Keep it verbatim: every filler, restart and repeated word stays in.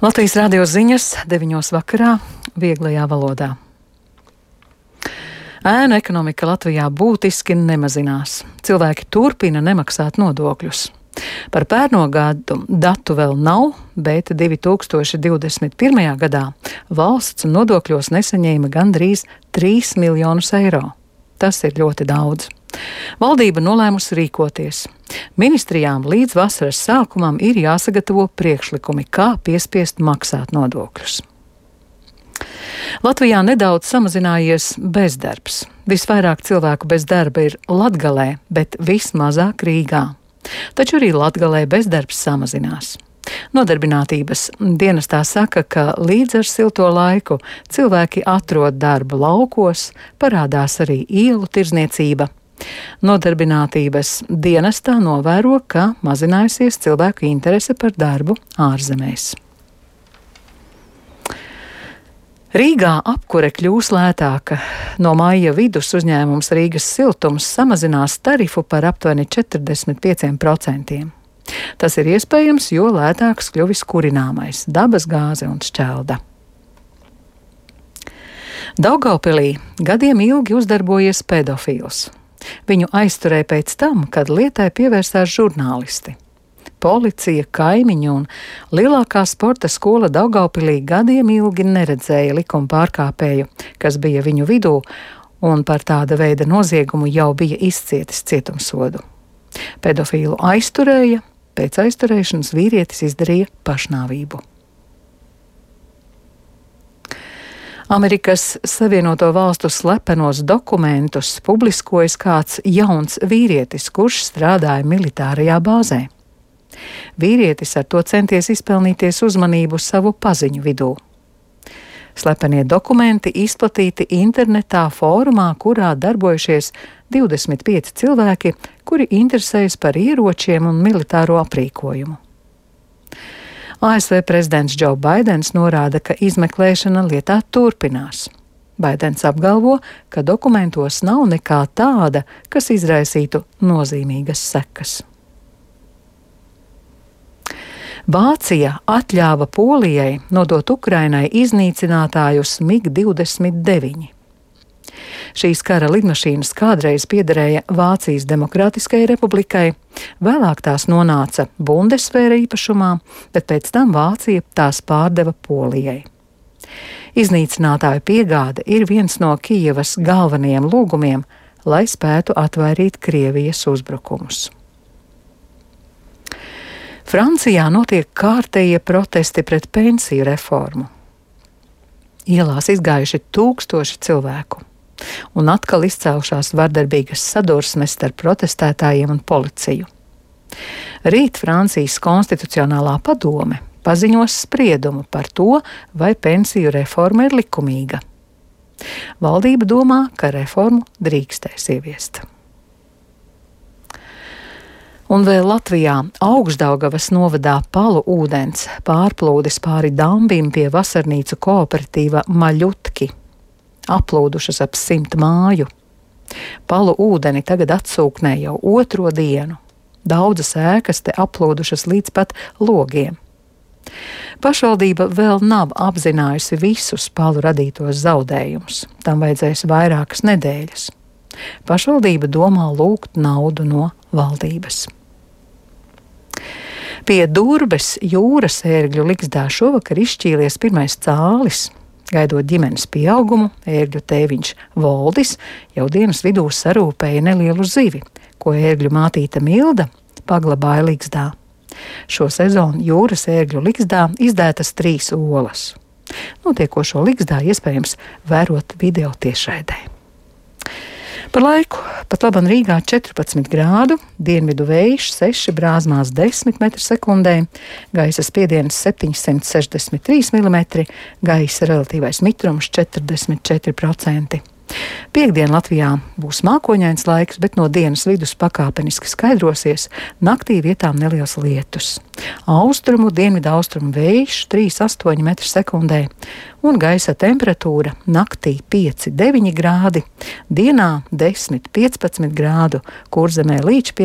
Latvijas radio ziņas deviņos vakarā vieglajā valodā. Ēnu ekonomika Latvijā būtiski nemazinās. Cilvēki turpina nemaksāt nodokļus. Par pērno gadu datu vēl nav, bet divi tūkstoši divdesmit pirmajā gadā valsts nodokļos nesaņēma gandrīz trīs miljonus eiro. Tas ir ļoti daudz. Valdība nolēmusi rīkoties. Ministrijām līdz vasaras sākumam ir jāsagatavo priekšlikumi, kā piespiest maksāt nodokļus. Latvijā nedaudz samazinājies bezdarbs. Visvairāk cilvēku bez darba ir Latgalē, bet vismazāk Rīgā. Taču arī Latgalē bezdarbs samazinās. Nodarbinātības dienestā saka, ka līdz ar silto laiku cilvēki atrod darbu laukos, parādās arī ielu tirdzniecība. Nodarbinātības dienestā novēro, ka mazinājusies cilvēku interese par darbu ārzemēs. Rīgā apkure kļūs lētāka. No maija vidus uzņēmums Rīgas siltums samazinās tarifu par aptuveni četrdesmit pieciem procentiem. Tas ir iespējams, jo lētāks kļuvis kurināmais, dabas gāze un šķelda. Daugavpilī gadiem ilgi uzdarbojies pedofils. Viņu aizturēja pēc tam, kad lietai pievērsās žurnālisti. Policija, kaimiņi un lielākā sporta skola Daugavpilī gadiem ilgi neredzēja likuma pārkāpēju, kas bija viņu vidū, un par tāda veida noziegumu jau bija izcietis cietumsodu. Pedofilu aizturēja, pēc aizturēšanas vīrietis izdarīja pašnāvību. Amerikas Savienoto Valstu slepenos dokumentus publiskojas kāds jauns vīrietis, kurš strādāja militārajā bāzē. Vīrietis ar to centies izpelnīties uzmanību savu paziņu vidū. Slepenie dokumenti izplatīti internetā fórumā, kurā darbojušies divdesmit pieci cilvēki, kuri interesējas par ieročiem un militāro aprīkojumu. A S V prezidents Džo Baidens norāda, ka izmeklēšana lietā turpinās. Baidens apgalvo, ka dokumentos nav nekā tāda, kas izraisītu nozīmīgas sekas. Vācija atļāva Polijai nodot Ukrainai iznīcinātājus mig divdesmit deviņi. Šīs kara lidmašīnas kādreiz piederēja Vācijas Demokrātiskajai republikai, vēlāk tās nonāca Bundesvēra īpašumā, bet pēc tam Vācija tās pārdeva Polijai. Iznīcinātāju piegāde ir viens no Kijevas galvenajiem lūgumiem, lai spētu atvairīt Krievijas uzbrukumus. Francijā notiek kārtējie protesti pret pensiju reformu. Ielās izgājuši tūkstoši cilvēku. Un atkal izcēlušās vardarbīgas sadursmes starp protestētājiem un policiju. Rīt Francijas konstitucionālā padome paziņos spriedumu par to, vai pensiju reforma ir likumīga. Valdība domā, ka reformu drīkstēs ieviest. Un vēl Latvijā Augšdaugavas novadā Palu ūdens pārplūdis pāri dambim pie vasarnīcu kooperatīva Maļutki. Aplūdušas ap simt māju. Palu ūdeni tagad atsūknē jau otro dienu. Daudzas ēkas te aplūdušas līdz pat logiem. Pašvaldība vēl nav apzinājusi visus palu radītos zaudējumus. Tam vajadzēs vairākas nedēļas. Pašvaldība domā lūgt naudu no valdības. Pie Durbes jūras ērgļu ligzdā šovakar izšķīlies pirmais cālis. Gaidot ģimenes pieaugumu, ērgļu tēviņš Voldis jau dienas vidū sarūpēja nelielu zivi, ko ērgļu mātīte Milda paglabāja ligzdā. Šo sezonu jūras ērgļu ligzdā izdētas trīs olas. Notiekošo ligzdā iespējams vērot video tiešraidē. Par laiku pat laban Rīgā četrpadsmit grādu, dienvidu vējš seši, brāzmās desmit metri sekundē, gaisa spiediens septiņsimt sešdesmit trīs milimetri, gaisa relatīvais mitrums četrdesmit četri procenti. Piektdien Latvijā būs mākoņains laiks, bet no dienas vidus pakāpeniski skaidrosies, naktī vietām neliels lietus. Austrumu, dienvidu austrumu vējš trīs astoņi metri sekundē un gaisa temperatūra naktī pieci deviņi grādi, dienā desmit piecpadsmit grādu, Kurzemē līdz pie